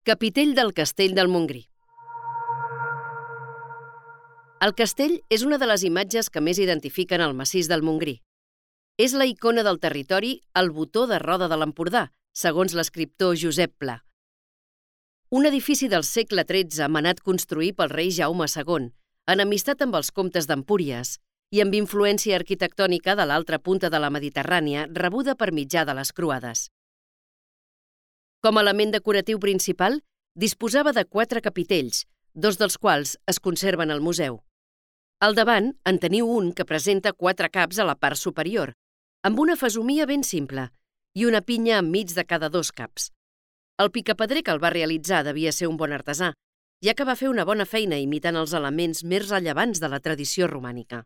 Capitell del Castell del Montgrí. El castell és una de les imatges que més identifiquen el massís del Montgrí. És la icona del territori al botó de roda de l'Empordà, segons l'escriptor Josep Pla. Un edifici del segle XIII manat construir pel rei Jaume II, en amistat amb els comtes d'Empúries i amb influència arquitectònica de l'altra punta de la Mediterrània rebuda per mitjà de les croades. Com a element decoratiu principal, disposava de 4 capitells, 2 dels quals es conserven al museu. Al davant en teniu un que presenta 4 caps a la part superior, amb una fesomia ben simple i una pinya enmig de cada 2 caps. El picapedrer que el va realitzar devia ser un bon artesà, ja que va fer una bona feina imitant els elements més rellevants de la tradició romànica.